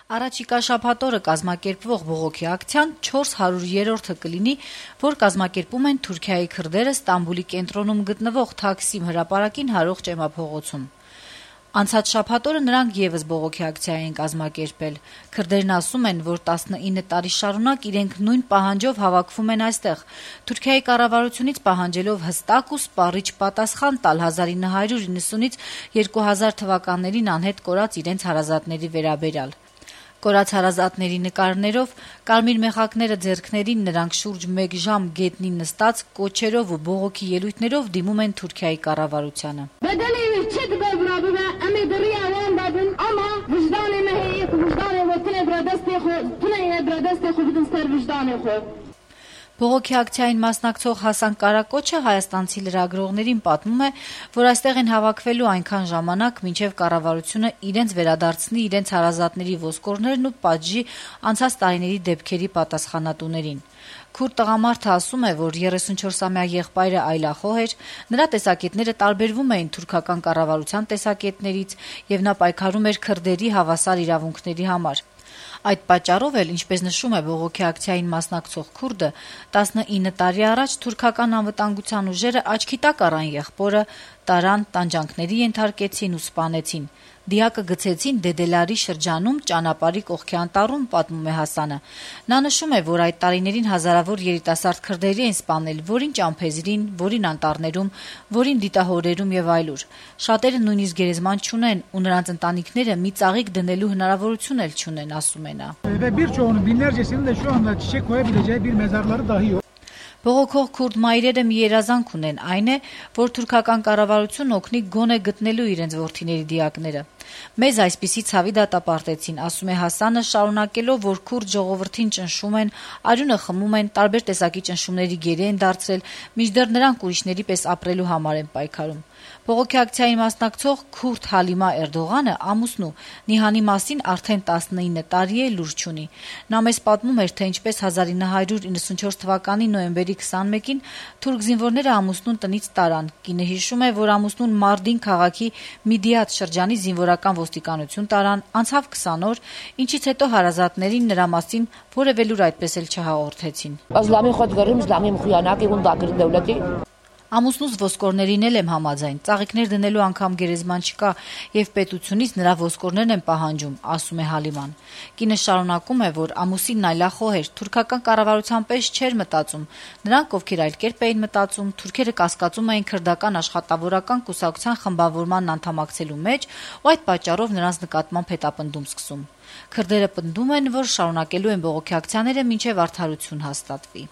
Առաջիկա շաբաթ օրը կազմակերպվող բողոքի ակցիան 400-րդը կլինի, որ կազմակերպում են Թուրքիայի քրդերը Ստամբուլի կենտրոնում գտնվող Թաքսիմ հրապարակին հարող ճեմափողոցում։ Անցած շաբաթ օրը նրանք եւս բողոքի ակցիա են կազմակերպել։ Քրդերն ասում են, որ 19 տարի շարունակ իրենք նույն պահանջով հավաքվում են այստեղ, Թուրքիայի կառավարությունից պահանջելով հստակ ու սպառիչ պատասխան տալ 1990-ից 2000 թվականներին անհետ կորած իրենց հարազատների վերաբերյալ։ Կորած հարազատների նկարներով, կարմիր մեխակները ձեռքներին նրանք շուրջ 1 ժամ գետնին նստած կոչերով ու բողոքի ելույթներով դիմում են Թուրքիայի կառավարությանը։ Բողոքի ակցիային մասնակցող Հասան Կարակոչը հայաստանցի լրագրողներին պատմում է, որ այստեղ են հավաքվելու այնքան ժամանակ, մինչև կառավարությունը իրենց վերադարձնի իրենց հարազատների ոսկորներն ու պատժի անցած տարիների դեպքերի պատասխանատուներին։ Քուրդ տղամարդը ասում է, որ 34-ամյա եղբայրը այլախոհ էր, նրա տեսակետները տարբերվում էին թուրքական կառավարության տեսակետներից եւ նա պայքարում էր քրդերի հավասար իրավունքների համար։ Այդ պատճառով էլ, ինչպես նշում է բողոքի ակցիային մասնակցող քուրդը, 19 տարի առաջ թուրքական անվտանգության ուժերը աչքի տակ առան եղբորը, տարան, տանջանքների ենթարկեցին ու սպանեցին։ Դիակը գցեցին Դեդելարի շրջանում ճանապարհի կողքի անտառում, պատմում է Հասանը։ Նա նշում է, որ այդ տարիներին հազարավոր երիտասարդ քրդերի են սպանել, որին ճամփեզրին, որին անտառներում, որին դիտահորերում եւ այլուր։ Շատերը նույնիսկ գերեզման չունեն ու նրանց ընտանիքները մի ծաղիկ դնելու հնարավորություն էլ չունեն, ասում է նա։ Բողոքող քուրդ մայրերը մի երազանք ունեն, այն է, որ թուրքական կառավարությունն օգնի գոնե գտնելու իրենց որդիների դիակները։ Մեզ այսպիսի ցավի դատապարտեցին, ասում է Հասանը, շարունակելով, որ քուրդ ժողովրդին ճնշում են, արյունը խմում են, տարբեր տեսակի ճնշումների գերի են դարձրել, մինչդեռ նրանք ուրիշների պես ապրելու համար են պայքարում։ Բողոքի ակցիային մասնակցող քուրդ Հալիմա Էրդողանը ամուսնու Նիհանի մասին արդեն 19 տարի է լուր չունի։ Նա մեզ պատմում էր, թե ինչպես 1994 թվականի նոյեմբերի 21-ին թուրք զինվորները ամուսնուն տնից տարան։ Կինը հիշում է, որ ամուսնուն Մարդին քաղաքի Միդիատ շրջանի զինվորական ոստիկանություն տարան, անցավ 20 օր, ինչից հետո հարազատներին նրա մասին որևէ լուր այդպես էլ չհաղորդեցին։ Ամուսնուս ոսկորներին էլ եմ համաձայն, ծաղիկներ դնելու անգամ գերեզման չկա եւ պետությունից նրա ոսկորներն են պահանջում, ասում է Հալիման։ Կինը շարունակում է, որ ամուսինն այլախոհ էր, թուրքական կառավարության պես չէր մտածում։ Նրանք, ովքեր այլ կերպ էին մտածում, թուրքերը կասկածում էին քրդական աշխատավորական կուսակցության խմբավորման անդամակցելու մեջ ու այդ պատճառով նրանց նկատմամբ հետապնդում սկսում։ Քրդերը պնդում են, որ շարունակելու են բողոքի ակցիաները մինչև արդարություն հաստատվի։